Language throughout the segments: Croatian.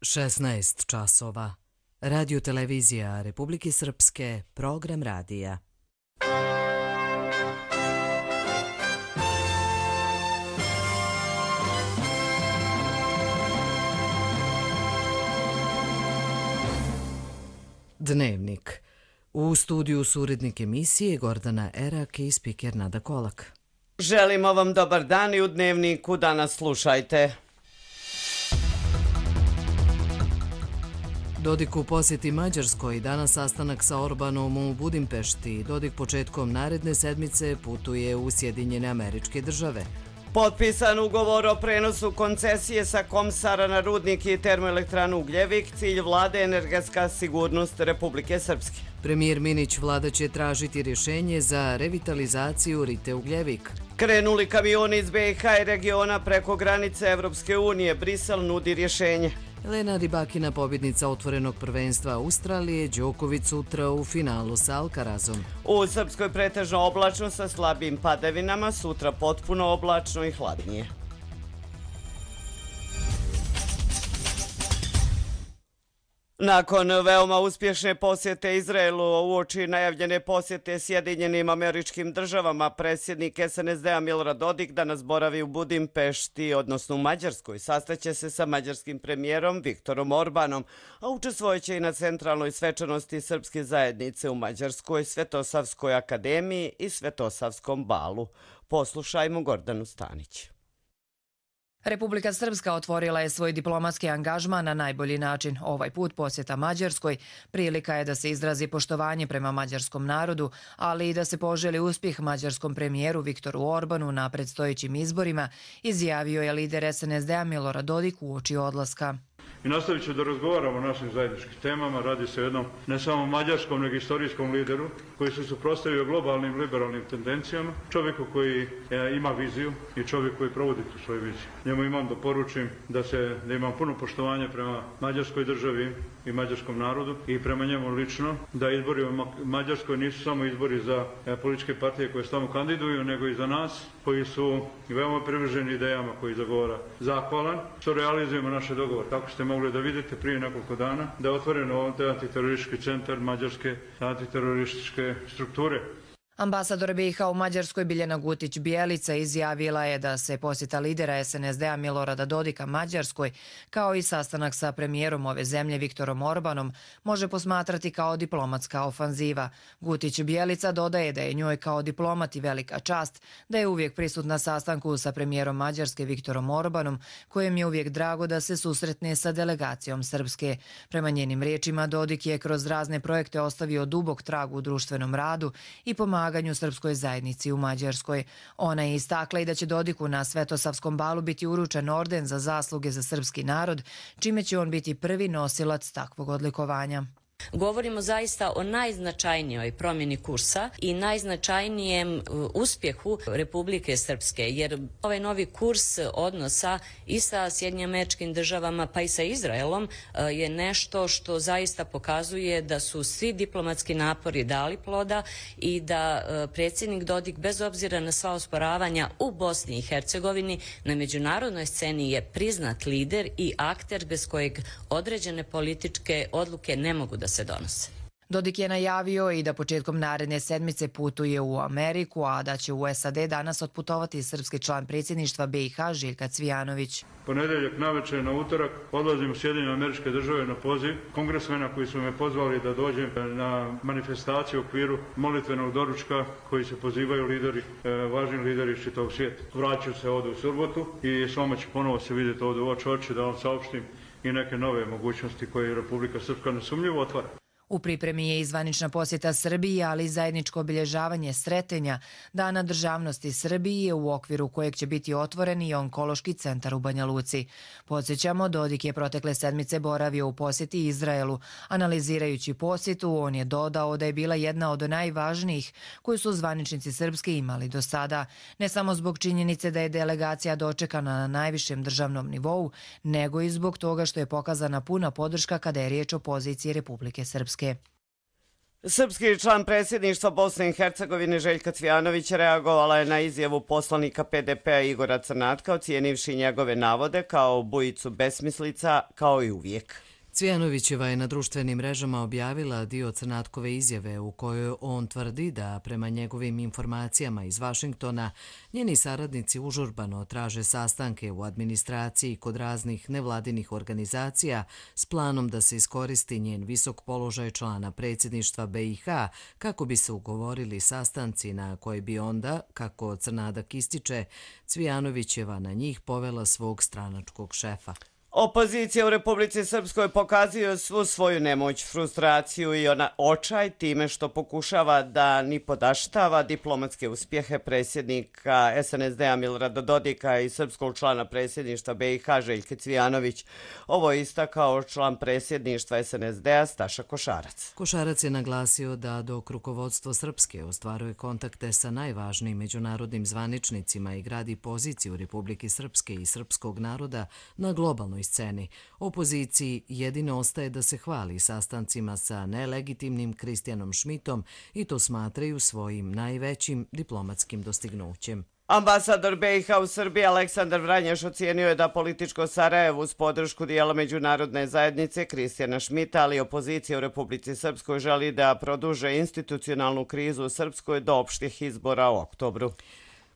16 časova. Radio televizija Republike Srpske, program radija. Dnevnik. U studiju su urednik emisije Gordana Erak i spiker Nada Kolak. Želimo vam dobar dan i u Dnevniku danas slušajte. Dodik u posjeti Mađarskoj, danas sastanak sa Orbanom u Budimpešti. Dodik početkom naredne sedmice putuje u Sjedinjene Američke Države. Potpisan ugovor o prenosu koncesije sa Komsara na rudnik i termoelektranu Ugljevik, cilj vlade energetska sigurnost Republike Srpske. Premijer Minić, vlada će tražiti rješenje za revitalizaciju Rite Ugljevik. Krenuli kamioni iz BiH i regiona preko granice Evropske unije, Brisel nudi rješenje. Elena Rybakina, pobjednica otvorenog prvenstva Australije, Đoković sutra u finalu sa Alcarazom. U Srpskoj pretežno oblačno sa slabim padavinama, sutra potpuno oblačno i hladnije. Nakon veoma uspješne posjete Izraelu uoči najavljene posjete Sjedinjenim Američkim Državama, predsjednik SNSD-a Milorad Dodik danas boravi u Budimpešti, odnosno u Mađarskoj. Sastaće se sa mađarskim premijerom Viktorom Orbanom, a učestvojeće i na centralnoj svečanosti srpske zajednice u Mađarskoj, Svetosavskoj akademiji i Svetosavskom balu. Poslušajmo Gordanu Stanić. Republika Srpska otvorila je svoj diplomatski angažman na najbolji način. Ovaj put posjeta Mađarskoj prilika je da se izrazi poštovanje prema mađarskom narodu, ali i da se poželi uspjeh mađarskom premijeru Viktoru Orbanu na predstojećim izborima, izjavio je lider SNSD-a Milorad Dodik uoči odlaska. I nastavit ću da razgovaramo o našim zajedničkim temama. Radi se o jednom ne samo mađarskom, nego istorijskom lideru koji se suprotstavio globalnim liberalnim tendencijama, čovjeku koji ima viziju i čovjek koji provodi tu svoju viziju. Njemu imam da poručim da imam puno poštovanja prema mađarskoj državi i mađarskom narodu i prema njemu lično, da izbori u Mađarskoj nisu samo izbori za političke partije koje se tamo kandiduju, nego i za nas koji su veoma privrženi idejama koji zagovara. Zahvalan što realizujemo naše dogovore. Tako ste mogli da vidite prije nekoliko dana da je otvoreno ovdje antiteroristički centar mađarske antiterorističke strukture. Ambasador BiH u Mađarskoj Biljana Gutić-Bijelica izjavila je da se posjeta lidera SNSD-a Milorada Dodika Mađarskoj, kao i sastanak sa premijerom ove zemlje Viktorom Orbanom, može posmatrati kao diplomatska ofanziva. Gutić-Bijelica dodaje da je njoj kao diplomati velika čast da je uvijek prisutna sastanku sa premijerom Mađarske Viktorom Orbanom, kojem je uvijek drago da se susretne sa delegacijom Srpske. Prema njenim riječima, Dodik je kroz razne projekte ostavio dubok trag u društvenom radu i pomaganju srpskoj zajednici u Mađarskoj. Ona je istakla i da će Dodiku na Svetosavskom balu biti uručen orden za zasluge za srpski narod, čime će on biti prvi nosilac takvog odlikovanja. Govorimo zaista o najznačajnijoj promjeni kursa i najznačajnijem uspjehu Republike Srpske, jer ovaj novi kurs odnosa i sa Sjedinjenim Američkim Državama pa i sa Izraelom je nešto što zaista pokazuje da su svi diplomatski napori dali ploda i da predsjednik Dodik bez obzira na sva osporavanja u Bosni i Hercegovini na međunarodnoj sceni je priznat lider i akter bez kojeg određene političke odluke ne mogu da se donose. Dodik je najavio i da početkom naredne sedmice putuje u Ameriku, a da će u SAD danas otputovati srpski član predsjedništva BiH Željka Cvijanović. Ponedjeljak navečer na utorak odlazim u Sjedinjene Američke Države na poziv kongresmena koji su me pozvali da dođem na manifestaciju u okviru molitvenog doručka koji se pozivaju važni lideri iz čitavog svijeta. Vraću se ovdje u subotu i s vama ću ponovo se vidjeti ovdje u oči da vam saopštim i neke nove mogućnosti koje Republika Srpska nesumnjivo otvara. U pripremi je i zvanična posjeta Srbiji, ali i zajedničko obilježavanje Sretenja, Dana državnosti Srbije, u okviru kojeg će biti otvoren i onkološki centar u Banja Luci. Podsjećamo, Dodik je protekle sedmice boravio u posjeti Izraelu. Analizirajući posjetu, on je dodao da je bila jedna od najvažnijih koju su zvaničnici srpski imali do sada, ne samo zbog činjenice da je delegacija dočekana na najvišem državnom nivou, nego i zbog toga što je pokazana puna podrška kada je riječ o poziciji Republike Srpske. Srpski član predsjedništva Bosne i Hercegovine Željka Cvijanović reagovala je na izjavu poslanika PDP-a Igora Crnatka, ocijenivši njegove navode kao bujicu besmislica, kao i uvijek. Cvijanovićeva je na društvenim mrežama objavila dio Crnatkove izjave u kojoj on tvrdi da prema njegovim informacijama iz Vašingtona njeni saradnici užurbano traže sastanke u administraciji kod raznih nevladinih organizacija s planom da se iskoristi njen visok položaj člana predsjedništva BiH kako bi se ugovorili sastanci na koji bi onda, kako Crnadak ističe, Cvijanovićeva na njih povela svog stranačkog šefa. Opozicija u Republici Srpskoj pokazuje svu svoju nemoć, frustraciju i očaj time što pokušava da ni podaštava diplomatske uspjehe predsjednika SNSD-a Milorada Dodika i srpskog člana predsjedništva BiH Željke Cvijanović. Ovo je istakao član predsjedništva SNSD-a Staša Košarac. Košarac je naglasio da dok rukovodstvo Srpske ostvaruje kontakte sa najvažnijim međunarodnim zvaničnicima i gradi poziciju Republike Srpske i srpskog naroda na globalnoj sceni, opoziciji jedino ostaje da se hvali sastancima sa nelegitimnim Kristijanom Šmitom i to smatraju svojim najvećim diplomatskim dostignućem. Ambasador BiH u Srbiji Aleksandar Vranješ ocijenio je da političko Sarajevo uz podršku dijela međunarodne zajednice Kristijana Šmita, ali opozicija u Republici Srpskoj želi da produže institucionalnu krizu u Srpskoj do opštih izbora u oktobru.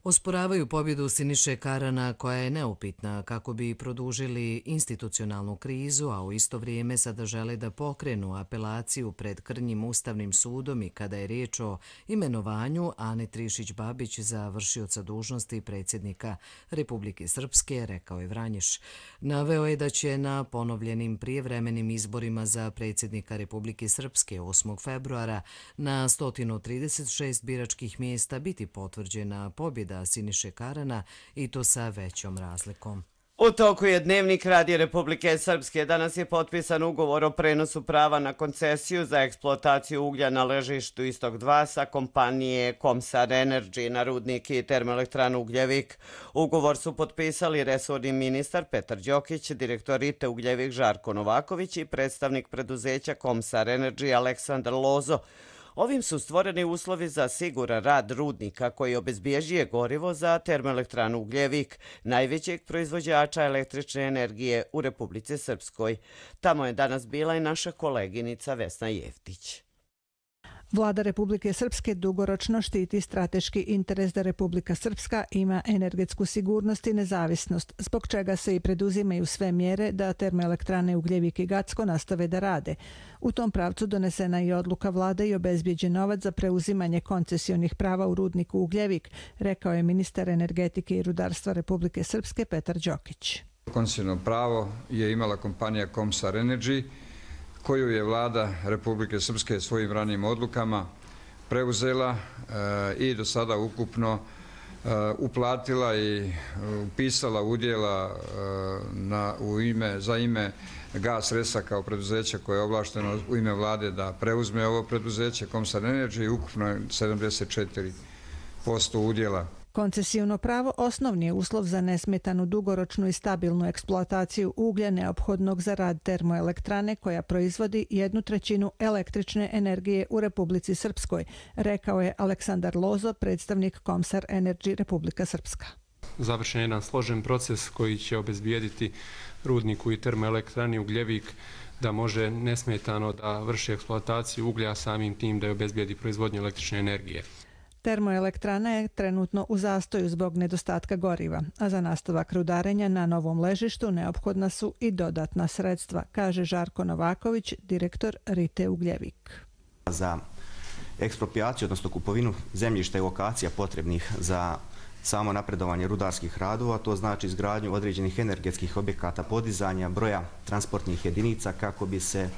Osporavaju pobjedu Siniše Karana koja je neupitna kako bi produžili institucionalnu krizu, a u isto vrijeme sada žele da pokrenu apelaciju pred krnjim Ustavnim sudom i kada je riječ o imenovanju Ane Trišić-Babić za vršioca dužnosti predsjednika Republike Srpske, rekao je Vranješ. Naveo je da će na ponovljenim prijevremenim izborima za predsjednika Republike Srpske 8. februara na 136 biračkih mjesta biti potvrđena pobjeda Siniše Karana i to sa većom razlikom. U toku je Dnevnik Radio Republike Srpske. Danas je potpisan ugovor o prenosu prava na koncesiju za eksploataciju uglja na ležištu Istok 2 sa kompanije Komsar Energy na rudnik i termoelektranu Ugljevik. Ugovor su potpisali resorni ministar Petar Đokić, direktor RITE Ugljevik Žarko Novaković i predstavnik preduzeća Komsar Energy Aleksandar Lozo. Ovim su stvoreni uslovi za siguran rad rudnika koji obezbjeđuje gorivo za termoelektranu Ugljevik, najvećeg proizvođača električne energije u Republici Srpskoj. Tamo je danas bila i naša koleginica Vesna Jevtić. Vlada Republike Srpske dugoročno štiti strateški interes da Republika Srpska ima energetsku sigurnost i nezavisnost, zbog čega se i preduzimaju sve mjere da termoelektrane Ugljevik i Gacko nastave da rade. U tom pravcu donesena je odluka vlade i obezbijeđen novac za preuzimanje koncesionih prava u rudniku Ugljevik, rekao je ministar energetike i rudarstva Republike Srpske Petar Đokić. Koncesiono pravo je imala kompanija Komsar Energy, koju je vlada Republike Srpske svojim ranijim odlukama preuzela i do sada ukupno uplatila i upisala udjela za ime Gas Resa kao preduzeće koje je ovlašteno u ime vlade da preuzme ovo preduzeće Komsar Energy i ukupno 74% udjela. Koncesijno pravo osnovni je uslov za nesmetanu dugoročnu i stabilnu eksploataciju uglja neophodnog za rad termoelektrane koja proizvodi 1/3 električne energije u Republici Srpskoj, rekao je Aleksandar Lozo, predstavnik Komsar Energy Republika Srpska. Završen je jedan složen proces koji će obezbijediti rudniku i termoelektrani Ugljevik da može nesmetano da vrši eksploataciju uglja, samim tim da je obezbijedi proizvodnju električne energije. Termoelektrana je trenutno u zastoju zbog nedostatka goriva, a za nastavak rudarenja na novom ležištu neophodna su i dodatna sredstva, kaže Žarko Novaković, direktor RITE Ugljevik. Za eksproprijaciju, odnosno kupovinu zemljišta i lokacija potrebnih za samo napredovanje rudarskih radova, to znači izgradnju određenih energetskih objekata, podizanja broja transportnih jedinica kako bi se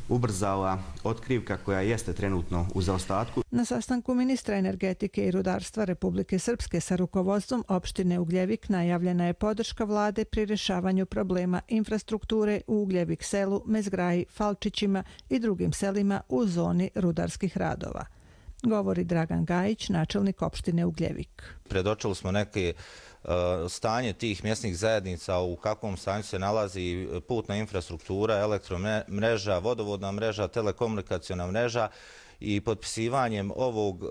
ubrzala otkrivka koja jeste trenutno u zaostatku. Na sastanku ministra energetike i rudarstva Republike Srpske sa rukovodstvom opštine Ugljevik najavljena je podrška vlade pri rješavanju problema infrastrukture u Ugljevik selu, Mezgraji, Falčićima i drugim selima u zoni rudarskih radova. Govori Dragan Gajić, načelnik opštine Ugljevik. Predočili smo neke stanje tih mjesnih zajednica, u kakvom stanju se nalazi putna infrastruktura, elektromreža, vodovodna mreža, telekomunikacijona mreža i potpisivanjem ovog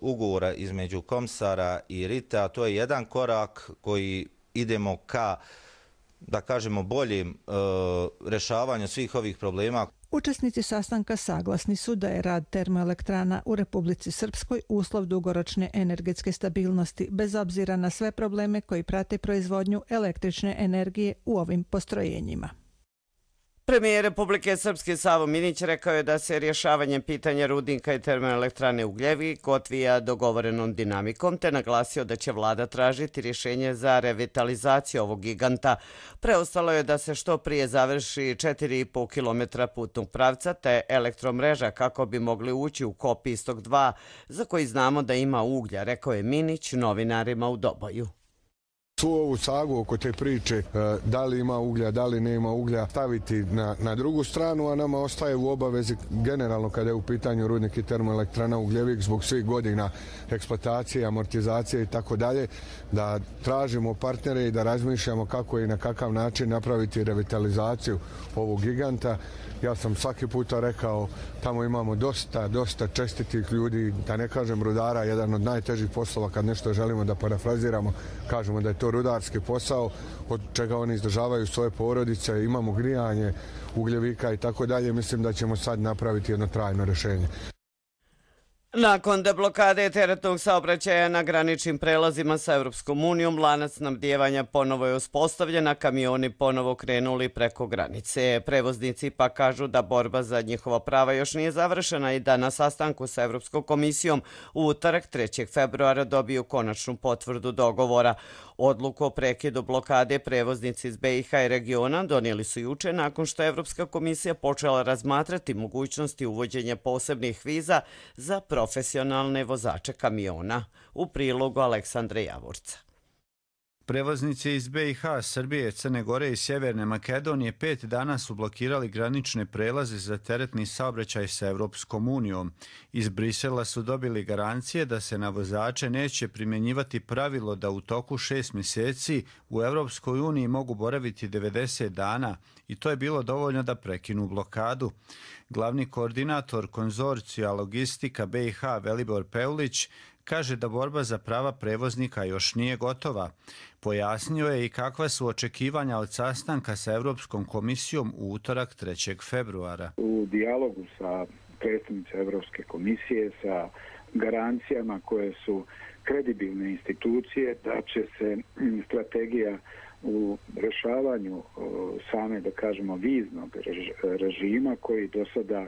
ugovora između Komsara i RITA, to je jedan korak koji idemo ka, da kažemo, boljem rešavanju svih ovih problema. Učesnici sastanka saglasni su da je rad termoelektrana u Republici Srpskoj uslov dugoročne energetske stabilnosti, bez obzira na sve probleme koji prate proizvodnju električne energije u ovim postrojenjima. Premijer Republike Srpske Savo Minić rekao je da se rješavanjem pitanja rudnika i termoelektrane Ugljevik odvija dogovorenom dinamikom, te naglasio da će vlada tražiti rješenje za revitalizaciju ovog giganta. Preostalo je da se što prije završi 4,5 km putnog pravca te elektromreža kako bi mogli ući u kop Istok 2, za koji znamo da ima uglja, rekao je Minić novinarima u Doboju. Svu ovu sagu oko te priče da li ima uglja, da li nema uglja staviti na drugu stranu, a nama ostaje u obavezi generalno kada je u pitanju rudnik i termoelektrana Ugljevik zbog svih godina eksploatacije, amortizacije i tako dalje, da tražimo partnere i da razmišljamo kako i na kakav način napraviti revitalizaciju ovog giganta. Ja sam svaki puta rekao, tamo imamo dosta čestitih ljudi, da ne kažem rudara, jedan od najtežih poslova kad nešto želimo da parafraziramo, kažemo da je to rudarski posao, od čega oni izdržavaju svoje porodice, imamo grijanje ugljevika i tako dalje. Mislim da ćemo sad napraviti jedno trajno rješenje. Nakon deblokade teretnog saobraćaja na graničnim prelazima sa Europskom unijom, lanac snabdijevanja ponovo je uspostavljen, a kamioni ponovo krenuli preko granice. Prevoznici pa kažu da borba za njihova prava još nije završena i da na sastanku sa Europskom komisijom u utorak 3. februara dobiju konačnu potvrdu dogovora. Odluku o prekidu blokade prevoznici iz BiH i regiona donijeli su juče nakon što je Evropska komisija počela razmatrati mogućnosti uvođenja posebnih viza za profesionalne vozače kamiona. U prilogu Aleksandre Javorca. Prevoznici iz BiH, Srbije, Crne Gore i Sjeverne Makedonije 5 dana su blokirali granične prelaze za teretni saobraćaj sa Evropskom unijom. Iz Brisela su dobili garancije da se na vozače neće primjenjivati pravilo da u toku 6 mjeseci u Evropskoj uniji mogu boraviti 90 dana i to je bilo dovoljno da prekinu blokadu. Glavni koordinator konzorcija logistika BiH Velibor Peulić kaže da borba za prava prevoznika još nije gotova. Pojasnio je i kakva su očekivanja od sastanka sa Europskom komisijom u utorak 3. februara. U dijalogu sa predstavnicima Europske komisije, sa garancijama koje su kredibilne institucije, da će se strategija u rješavanju same, da kažemo, viznog režima koji do sada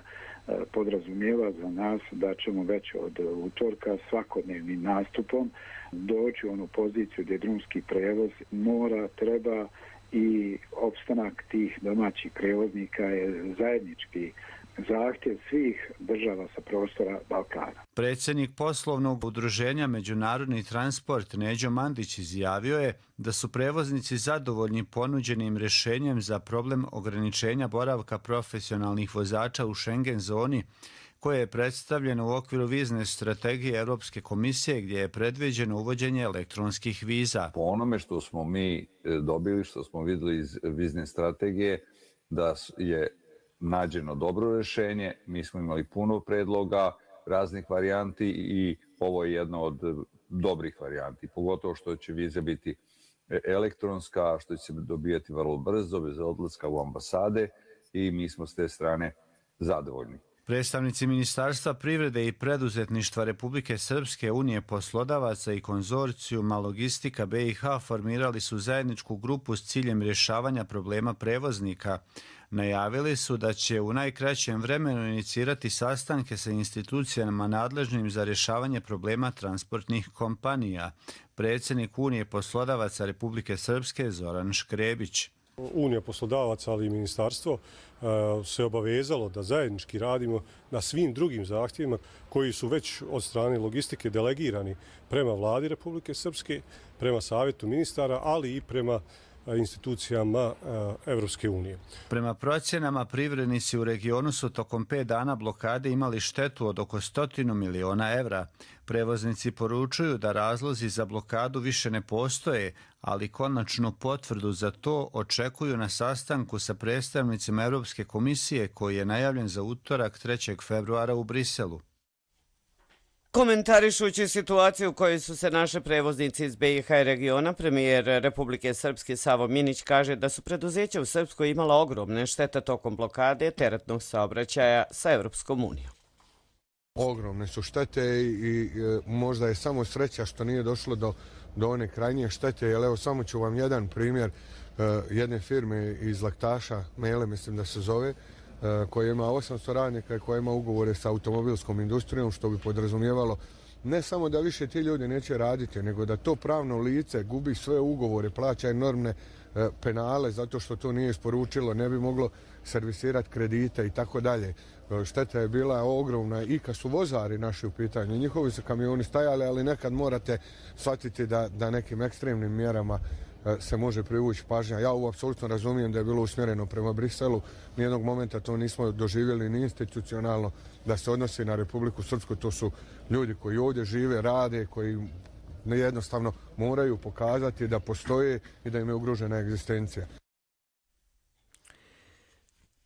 podrazumijeva za nas da ćemo već od utorka svakodnevnim nastupom doći u onu poziciju gdje drumski prevoz mora, treba i opstanak tih domaćih prevoznika je zajednički zahtjev svih država sa prostora Balkana. Predsjednik poslovnog udruženja Međunarodni transport Neđo Mandić izjavio je da su prevoznici zadovoljni ponuđenim rješenjem za problem ograničenja boravka profesionalnih vozača u Schengen zoni, koje je predstavljeno u okviru vizne strategije Europske komisije gdje je predviđeno uvođenje elektronskih viza. Po onome što smo mi dobili, što smo vidjeli iz vizne strategije, da je nađeno dobro rješenje, mi smo imali puno predloga, raznih varijanti i ovo je jedna od dobrih varijanti, pogotovo što će viza biti elektronska, što će se dobijati vrlo brzo, bez odlaska u ambasade i mi smo s te strane zadovoljni. Predstavnici Ministarstva privrede i preduzetništva Republike Srpske, Unije poslodavaca i konzorcijuma logistika BiH formirali su zajedničku grupu s ciljem rješavanja problema prevoznika. Najavili su da će u najkraćem vremenu inicirati sastanke sa institucijama nadležnim za rješavanje problema transportnih kompanija. Predsjednik Unije poslodavaca Republike Srpske Zoran Škrebić. Unija poslodavaca, ali i ministarstvo se obavezalo da zajednički radimo na svim drugim zahtjevima koji su već od strane logistike delegirani prema vladi Republike Srpske, prema savjetu ministara, ali i prema institucijama Evropske unije. Prema procjenama, privrednici u regionu su tokom 5 dana blokade imali štetu od oko 100 miliona evra. Prevoznici poručuju da razlozi za blokadu više ne postoje, ali konačnu potvrdu za to očekuju na sastanku sa predstavnicima Europske komisije koji je najavljen za utorak 3. februara u Briselu. Komentarišući situaciju u kojoj su se naše prevoznici iz BiH i regiona, premijer Republike Srpske Savo Minić kaže da su preduzeća u Srpskoj imala ogromne štete tokom blokade teretnog saobraćaja sa Evropskom unijom. Ogromne su štete i možda je samo sreća što nije došlo do one krajnje štete, jer evo samo ću vam jedan primjer jedne firme iz Laktaša, Mele mislim da se zove, koja ima 800 radnika i koja ima ugovore sa automobilskom industrijom, što bi podrazumijevalo ne samo da više ti ljudi neće raditi, nego da to pravno lice gubi sve ugovore, plaća enormne penale zato što to nije isporučilo, ne bi moglo servisirati kredite i tako dalje. Šteta je bila ogromna i kad su vozari naši u pitanju. Njihovi su kamioni stajali, ali nekad morate shvatiti da nekim ekstremnim mjerama se može privući pažnja. Ja ovo apsolutno razumijem da je bilo usmjereno prema Briselu. Nijednog momenta to nismo doživjeli ni institucionalno da se odnosi na Republiku Srpsku. To su ljudi koji ovdje žive, rade, koji jednostavno moraju pokazati da postoje i da im je ugrožena egzistencija.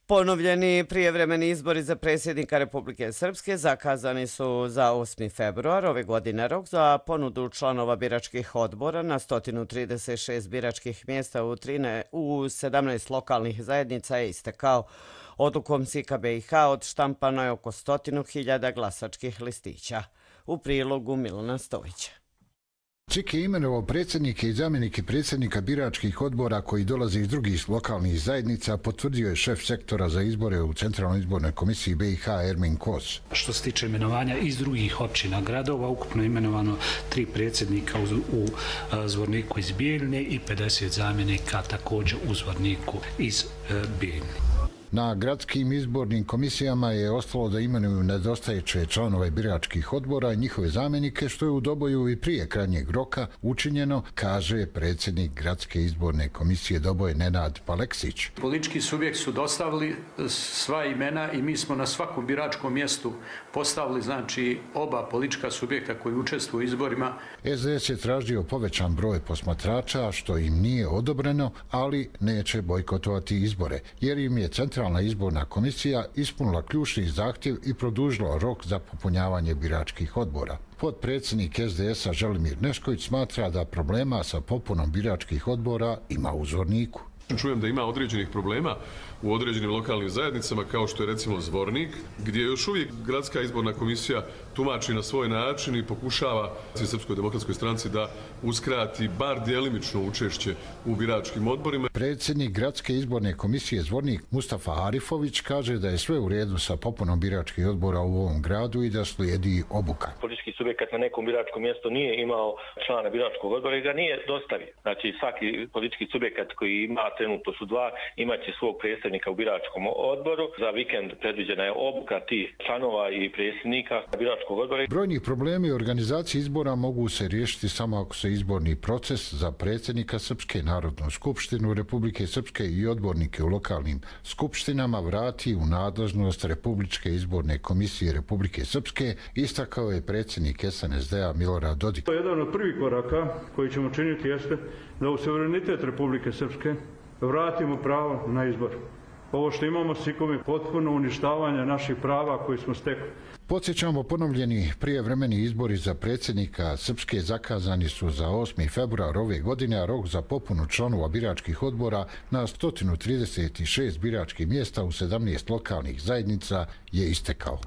Ponovljeni prijevremeni izbori za predsjednika Republike Srpske zakazani su za 8. februar ove godine. Rok za ponudu članova biračkih odbora na 136 biračkih mjesta u 17 lokalnih zajednica je istekao. Odlukom SIK-a BiH odštampano je oko 100.000 glasačkih listića. U prilogu Milana Stojića. SIK je imenovao predsjednike i zamjenike predsjednika biračkih odbora koji dolaze iz drugih lokalnih zajednica, potvrdio je šef sektora za izbore u Centralnoj izbornoj komisiji BiH Ermin Kos. Što se tiče imenovanja iz drugih općina gradova, ukupno je imenovano 3 predsjednika u Zvorniku iz Bijeljine i 50 zamjenika također u Zvorniku iz Bijeljine. Na gradskim izbornim komisijama je ostalo da imenuju nedostajeće članove biračkih odbora i njihove zamjenike, što je u Doboju i prije krajnjeg roka učinjeno, kaže predsjednik gradske izborne komisije Doboje Nenad Paleksić. Politički subjekt su dostavili sva imena i mi smo na svakom biračkom mjestu postavili oba politička subjekta koji učestvuju u izborima. SDS je tražio povećan broj posmatrača, što im nije odobreno, ali neće bojkotovati izbore, jer im je Centralna izborna komisija ispunila ključni zahtjev i produžila rok za popunjavanje biračkih odbora. Potpredsjednik SDS-a Želimir Nešković smatra da problema sa popunom biračkih odbora ima u Zvorniku. Čujem da ima određenih problema u određenim lokalnim zajednicama, kao što je recimo Zvornik, gdje još uvijek gradska izborna komisija tumači na svoj način i pokušava Srpskoj demokratskoj stranci da uskrati bar djelimično učešće u biračkim odborima. Predsjednik gradske izborne komisije Zvornik Mustafa Arifović kaže da je sve u redu sa popunom biračkih odbora u ovom gradu i da slijedi obuka. Politički subjekat na nekom biračkom mjestu nije imao člana biračkog odbora i ga nije dostavio. Znači svaki politički subjekat koji ima, trenutno su 2, imaće svog predstavnika u biračkom odboru. Za vikend predviđena je obuka tih članova i predsjednika biračkog odbora. Brojni problemi organizacije izbora mogu se riješiti samo ako se izborni proces za predsjednika Srpske, Narodnu skupštinu Republike Srpske i odbornike u lokalnim skupštinama vrati u nadležnost Republičke izborne komisije Republike Srpske, istakao je predsjednik SNSD-a Milorad Dodik. Jedan od prvih koraka koji ćemo činiti jeste da u suverenitet Republike Srpske vratimo pravo na izbor. Ovo što imamo s SIK-om je potpuno uništavanje naših prava koji smo stekli. Podsjećamo, ponovljeni prijevremeni izbori za predsjednika Srpske zakazani su za 8. februar ove godine, a rok za popunu članova biračkih odbora na 136 biračkih mjesta u 17 lokalnih zajednica je istekao.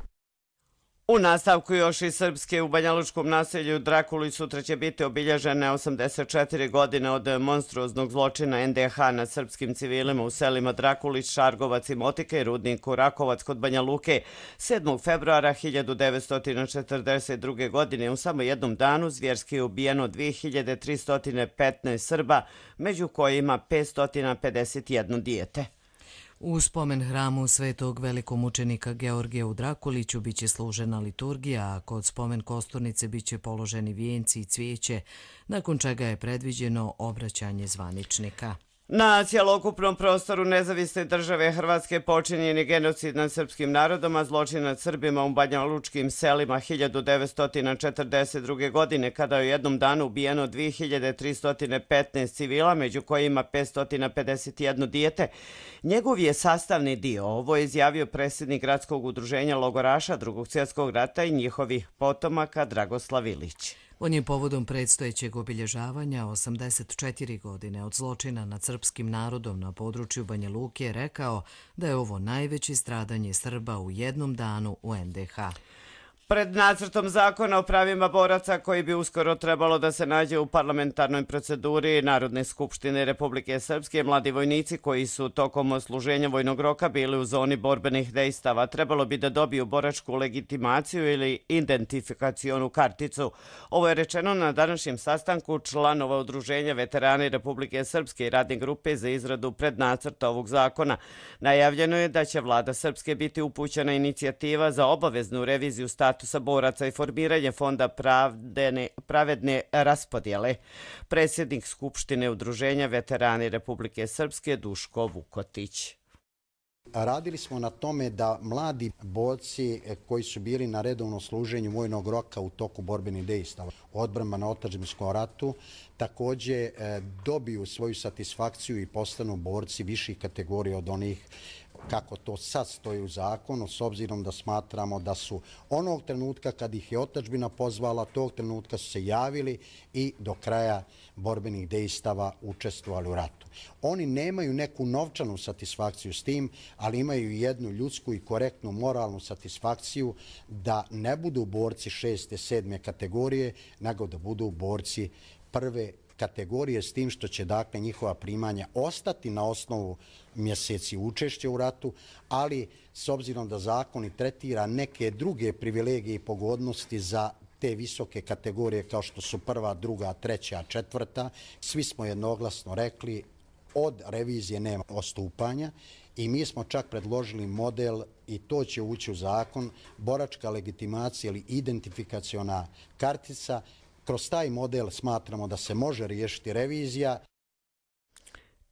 U nastavku još i Srpske u Banjalučkom naselju Drakuli sutra će biti obilježene 84 godine od monstruoznog zločina NDH nad srpskim civilima u selima Drakulić, Šargovac i Motike i rudniku Rakovac kod Banja Luke. 7. februara 1942. godine u samo jednom danu zvjerski je ubijeno 2315 Srba, među kojima 551 dijete. U spomen hramu svetog velikomučenika Georgija u Drakuliću biće služena liturgija, a kod spomen kosturnice biće položeni vijenci i cvijeće, nakon čega je predviđeno obraćanje zvaničnika. Na cjelokupnom prostoru nezavisne države Hrvatske počinjen je genocid nad srpskim narodom, a zločin nad Srbima u banjalučkim selima 1942. godine, kada je u jednom danu ubijeno 2315 civila, među kojima 551 dijete. Njegov je sastavni dio. Ovo je izjavio predsjednik Gradskog udruženja logoraša Drugog svjetskog rata i njihovih potomaka Dragoslav Ilić. On je povodom predstojećeg obilježavanja 84 godine od zločina nad srpskim narodom na području Banja Luke rekao da je ovo najveće stradanje Srba u jednom danu u NDH. Pred nacrtom zakona o pravima boraca koji bi uskoro trebalo da se nađe u parlamentarnoj proceduri Narodne skupštine Republike Srpske, mladi vojnici koji su tokom odsluženja vojnog roka bili u zoni borbenih dejstava trebalo bi da dobiju boračku legitimaciju ili identifikacionu karticu. Ovo je rečeno na današnjem sastanku članova Udruženja veterani Republike Srpske i radne grupe za izradu prednacrta ovog zakona. Najavljeno je da će vlada Srpske biti upućena inicijativa za obaveznu reviziju statusa boraca i formiranje fonda pravedne raspodjele. Predsjednik Skupštine Udruženja veterani Republike Srpske Duško Vukotić. Radili smo na tome da mladi borci koji su bili na redovnom služenju vojnog roka u toku borbenih dejstava odbrana na otadžbinskom ratu također dobiju svoju satisfakciju i postanu borci viših kategorija od onih kako to sad stoji u zakonu, s obzirom da smatramo da su onog trenutka kad ih je otadžbina pozvala, tog trenutka su se javili i do kraja borbenih dejstava učestvovali u ratu. Oni nemaju neku novčanu satisfakciju s tim, ali imaju jednu ljudsku i korektnu moralnu satisfakciju da ne budu borci 6. 7. kategorije, nego da budu borci prve kategorije, s tim što će dakle njihova primanja ostati na osnovu mjeseci učešća u ratu, ali s obzirom da zakon i tretira neke druge privilegije i pogodnosti za te visoke kategorije kao što su 1., 2., 3., 4., svi smo jednoglasno rekli od revizije nema odstupanja i mi smo čak predložili model i to će ući u zakon, boračka legitimacija ili identifikaciona kartica. Kroz taj model smatramo da se može riješiti revizija.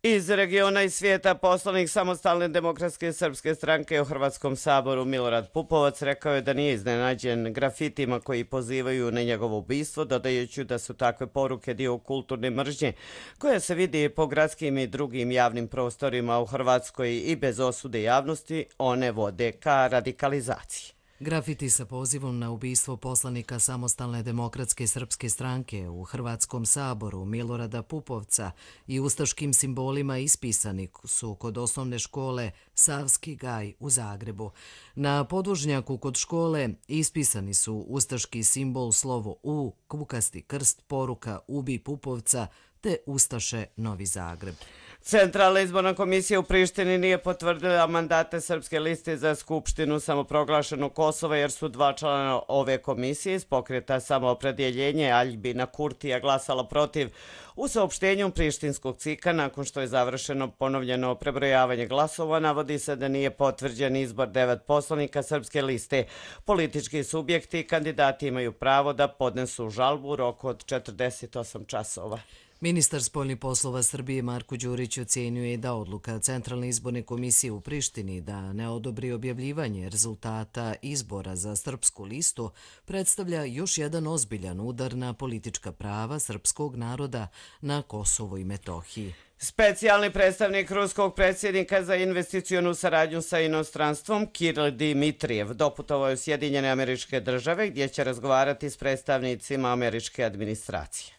Iz regiona i svijeta poslanik Samostalne demokratske srpske stranke u Hrvatskom saboru Milorad Pupovac rekao je da nije iznenađen grafitima koji pozivaju na njegovo ubistvo, dodajući da su takve poruke dio kulturne mržnje koja se vidi po gradskim i drugim javnim prostorima u Hrvatskoj i bez osude javnosti one vode ka radikalizaciji. Grafiti sa pozivom na ubistvo poslanika Samostalne demokratske srpske stranke u Hrvatskom saboru Milorada Pupovca i ustaškim simbolima ispisani su kod osnovne škole Savski gaj u Zagrebu. Na podvožnjaku kod škole ispisani su ustaški simbol slovo U, kukasti krst, poruka Ubi Pupovca te Ustaše Novi Zagreb. Centralna izborna komisija u Prištini nije potvrdila mandate Srpske liste za Skupštinu samoproglašenog Kosova jer su 2 člana ove komisije iz pokreta Samoopredjeljenje Aljbina Kurtija glasala protiv. U saopštenju prištinskog CIK-a nakon što je završeno ponovljeno prebrojavanje glasova navodi se da nije potvrđen izbor 9 poslanika Srpske liste. Politički subjekti i kandidati imaju pravo da podnesu žalbu u roku od 48 časova. Ministar spoljnih poslova Srbije Marko Đurić ocenjuje da odluka Centralne izborne komisije u Prištini da ne odobri objavljivanje rezultata izbora za srpsku listu predstavlja još jedan ozbiljan udar na politička prava srpskog naroda na Kosovu i Metohiji. Specijalni predstavnik ruskog predsjednika za investicionu saradnju sa inostranstvom Kiril Dimitrijev doputovao je u Sjedinjene Američke Države gdje će razgovarati s predstavnicima američke administracije.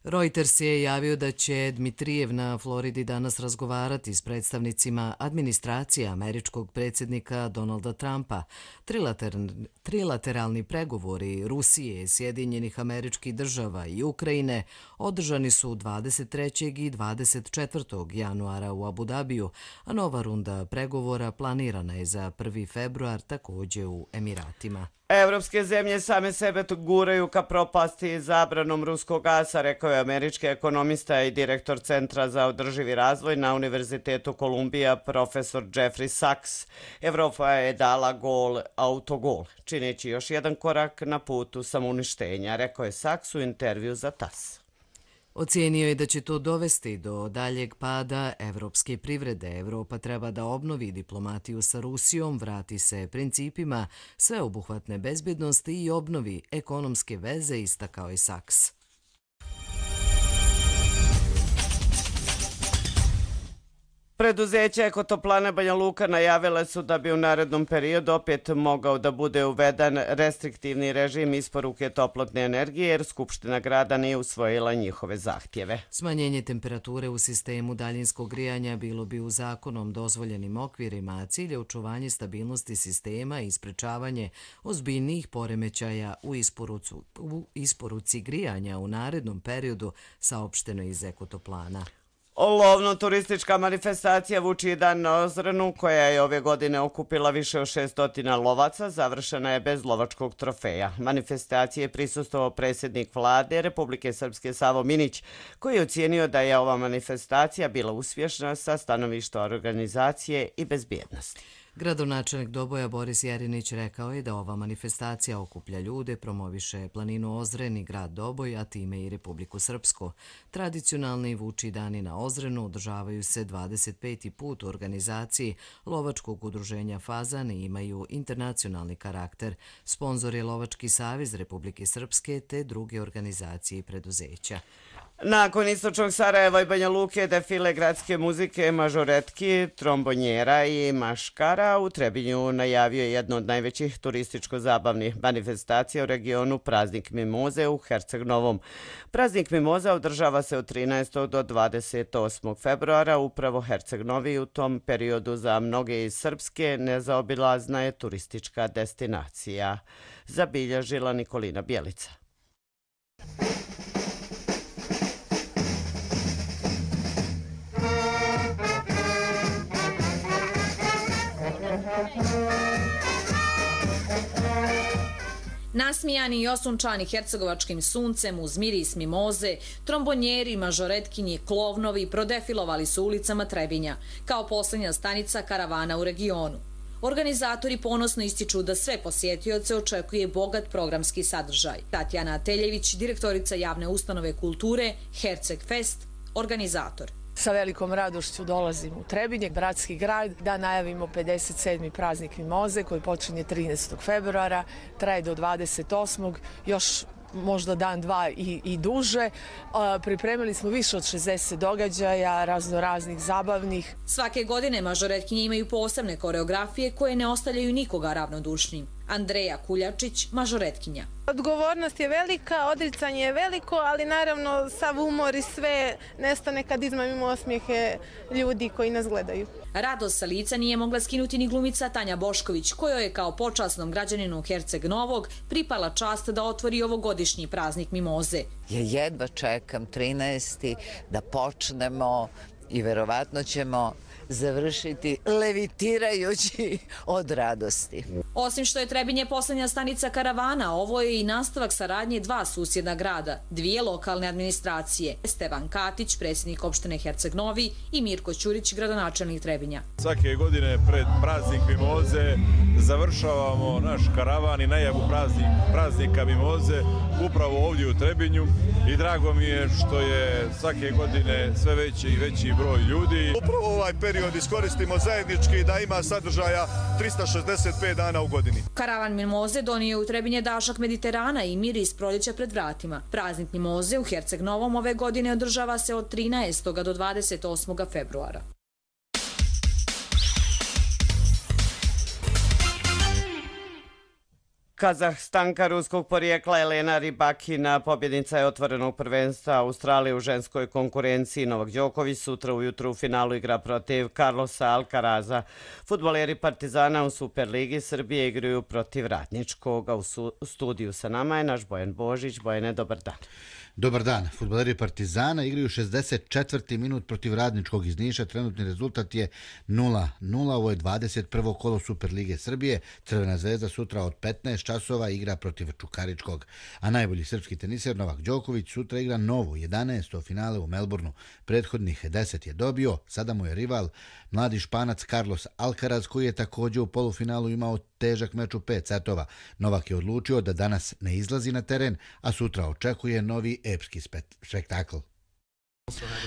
Reuters je javio da će Dmitrijev na Floridi danas razgovarati s predstavnicima administracije američkog predsjednika Donalda Trumpa. Trilateralni pregovori Rusije, Sjedinjenih Američkih Država i Ukrajine održani su 23. i 24. januara u Abu Dabiju, a nova runda pregovora planirana je za 1. februar također u Emiratima. Evropske zemlje same sebe guraju ka propasti zabranom ruskog gasa, rekao je američki ekonomista i direktor Centra za održivi razvoj na Univerzitetu Kolumbija, profesor Jeffrey Sachs. Evropa je dala autogol, čineći još jedan korak na putu samouništenja, rekao je Sachs u intervju za TASS. Ocijenio je da će to dovesti do daljeg pada evropske privrede. Evropa treba da obnovi diplomatiju sa Rusijom, vrati se principima sveobuhvatne bezbjednosti i obnovi ekonomske veze, istakao je Saks. Preduzeće Ekotoplana Banja Luka najavile su da bi u narednom periodu opet mogao da bude uveden restriktivni režim isporuke toplotne energije jer Skupština grada nije usvojila njihove zahtjeve. Smanjenje temperature u sistemu daljinskog grijanja bilo bi u zakonom dozvoljenim okvirima, a cilj je očuvanje stabilnosti sistema i sprečavanje ozbiljnijih poremećaja u isporuci grijanja u narednom periodu, saopšteno iz Ekotoplana. Lovno-turistička manifestacija Vučiji dan na Ozrenu, koja je ove godine okupila više od 600 lovaca, završena je bez lovačkog trofeja. Manifestacije je prisustvovao predsjednik vlade Republike Srpske Savo Minić, koji je ocijenio da je ova manifestacija bila uspješna sa stanovišta organizacije i bezbjednosti. Gradonačelnik Doboja Boris Jerinić rekao je da ova manifestacija okuplja ljude, promoviše planinu Ozren i grad Doboj, a time i Republiku Srpsku. Tradicionalni Vučiji dani na Ozrenu održavaju se 25. put u organizaciji Lovačkog udruženja Fazan i imaju internacionalni karakter. Sponzor je Lovački savez Republike Srpske te druge organizacije i preduzeća. Nakon istočnog Sarajeva i Banja Luke defile gradske muzike Mažoretki, trombonjera i maškara u Trebinju najavio je jednu od najvećih turističko-zabavnih manifestacija u regionu Praznik Mimoze u Herceg Novom. Praznik Mimoza održava se od 13. do 28. februara. Upravo Herceg Novi u tom periodu za mnoge iz Srpske nezaobilazna je turistička destinacija, zabilježila Nikolina Bjelica. Nasmijani i osunčani hercegovačkim suncem uz miris mimoze, trombonjeri, mažoretkinji, klovnovi prodefilovali su ulicama Trebinja, kao posljednja stanica karavana u regionu. Organizatori ponosno ističu da sve posjetioce očekuje bogat programski sadržaj. Tatjana Ateljević, direktorica javne ustanove kulture Herceg Fest, organizator. Sa velikom radošću dolazim u Trebinje, bratski grad, da najavimo 57. praznik Mimoze koji počinje 13. februara, traje do 28. još možda dan, dva i duže. Pripremili smo više od 60 događaja, raznoraznih zabavnih. Svake godine mažoretkinje imaju posebne koreografije koje ne ostavljaju nikoga ravnodušnim. Andreja Kuljačić, mažoretkinja. Odgovornost je velika, odricanje je veliko, ali naravno sav umor i sve nestane kad izmamimo osmijehe ljudi koji nas gledaju. Radost sa lica nije mogla skinuti ni glumica Tanja Bošković, kojoj je kao počasnom građaninu Herceg Novog pripala čast da otvori ovogodišnji praznik Mimoze. Ja jedva čekam 13. da počnemo i verovatno ćemo završiti levitirajući od radosti. Osim što je Trebinje posljednja stanica karavana, ovo je i nastavak saradnje dva susjedna grada, dvije lokalne administracije. Stevan Katić, predsjednik opštine Herceg Novi, i Mirko Ćurić, gradonačelnik Trebinja. Svake godine pred praznik Mimoze završavamo naš karavan i najavu praznika Mimoze upravo ovdje u Trebinju i drago mi je što je svake godine sve veći i veći broj ljudi. Upravo ovaj period iskoristimo zajednički da ima sadržaja 365 dana u godini. Karavan Mimoze donio u Trebinje dašak Mediterana i miris proljeća pred vratima. Praznik Mimoze u Herceg Novom ove godine održava se od 13. do 28. februara. Kazahstanka ruskog porijekla Elena Rybakina, pobjednica je otvorenog prvenstva Australije u ženskoj konkurenciji. Novak Đoković sutra ujutru u finalu igra protiv Carlosa Alcaraza. Fudbaleri Partizana u Superligi Srbije igraju protiv Radničkog. U studiju sa nama je naš Bojan Božić. Bojane, dobar dan. Dobar dan. Fudbaleri Partizana igraju 64. minut protiv Radničkog iz Niša. Trenutni rezultat je 0-0. Ovo je 21. kolo Superlige Srbije. Crvena zvezda sutra od 15 časova igra protiv Čukaričkog. A najbolji srpski teniser Novak Đoković sutra igra novo 11. finale u Melbourneu. Prethodnih 10 je dobio. Sada mu je rival mladi Španac Carlos Alcaraz, koji je također u polufinalu imao težak meč u 5 setova. Novak je odlučio da danas ne izlazi na teren, a sutra očekuje novi epski spektakl.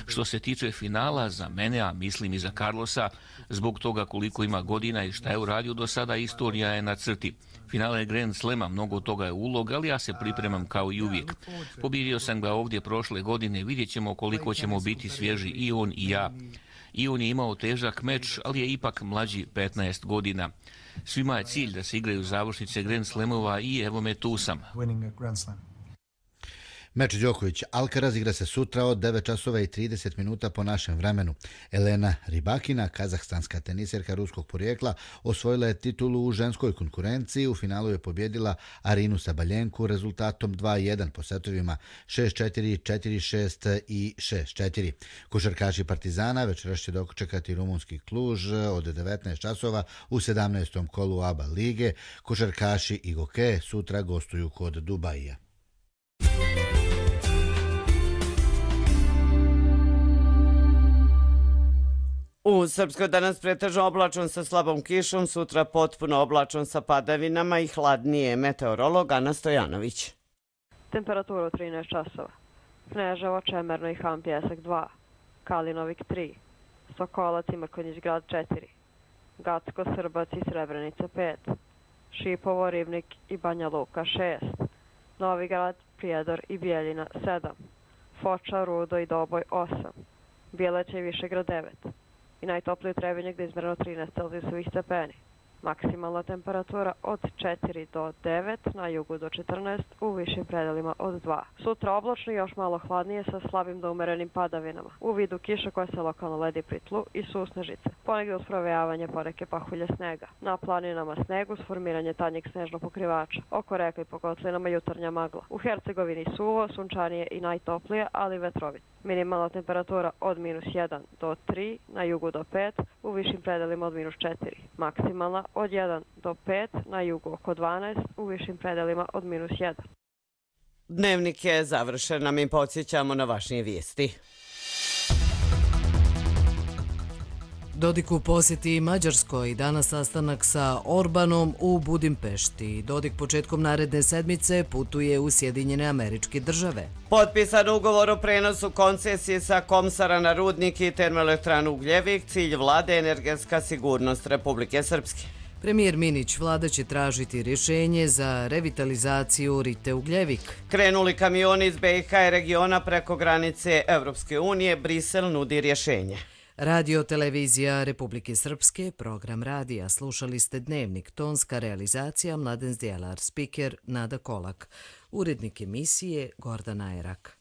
Što se tiče finala, za mene, a mislim i za Carlosa, zbog toga koliko ima godina i šta je uradio do sada, istorija je na crti. Finale Grand Slema, mnogo toga je ulog, ali ja se pripremam kao i uvijek. Pobjedio sam ga ovdje prošle godine, vidjet ćemo koliko ćemo biti svježi i on i ja. I on je imao težak meč, ali je ipak mlađi 15 godina. Svima je cilj da se igraju završnice Grand Slamova i evo me tu sam. Meč Đoković-Alcaraz igra se sutra od 9 časova i 30 minuta po našem vremenu. Elena Rybakina, kazahstanska teniserka ruskog porijekla, osvojila je titulu u ženskoj konkurenciji. U finalu je pobjedila Arinu Sabaljenku rezultatom 2-1 po setovima 6-4, 4-6 i 6-4. Košarkaši Partizana večeras će dočekati rumunski Kluž od 19 časova u 17. kolu ABA lige. Košarkaši Igoke sutra gostuju kod Dubaija. U Srpskoj danas pretežno oblačan sa slabom kišom, sutra potpuno oblačan sa padavinama i hladnije. Meteorolog Ana Stojanović. Temperatura 13 časova. Kneževo, Čemerno i Han Pjesak 2. Kalinovik 3. Sokolac i Mrkonjić grad 4. Gacko, Srbac i Srebrenica 5. Šipovo, Ribnik i Banja Luka 6. Novi grad, Prijedor i Bijeljina 7. Foča, Rudo i Doboj 8. Bjeleća i Višegrad 9. I najtoplije u Trebinju gdje je izmjereno 13 celzijusovih stepeni. Maksimalna temperatura od 4 do 9, na jugu do 14, u višim predelima od 2. Sutra oblačno i još malo hladnije sa slabim do umerenim padavinama. U vidu kiša koja se lokalno ledi pri tlu i susnežice. Ponegdje uz provejavanje poneke pahulje snega. Na planinama snegu s formiranje tanjeg snežnog pokrivača. Oko reka i po kotlinama jutarnja magla. U Hercegovini suvo, sunčanije i najtoplije, ali vetrovit. Minimalna temperatura od -1 do 3, na jugu do 5, u višim predelima od -4. Maksimalna od 1 do 5, na jugu oko 12, u višim predelima od -1. Dnevnik je završen, a mi podsjećamo na važnije vijesti. Dodik u posjeti Mađarskoj, danas sastanak sa Orbanom u Budimpešti. Dodik početkom naredne sedmice putuje u Sjedinjene Američke Države. Potpisan ugovor o prenosu koncesije sa Komsara na rudnik i termoelektranu Ugljevik, cilj vlade energetska sigurnost Republike Srpske. Premijer Minić, vlada će tražiti rješenje za revitalizaciju Rite Ugljevik. Krenuli kamioni iz BiH i regiona preko granice Evropske unije, Brisel nudi rješenje. Radio Televizija Republike Srpske, program radija. Slušali ste Dnevnik, tonska realizacija Mladen Zdjelar, spiker Nada Kolak, urednik emisije Gordana Erak.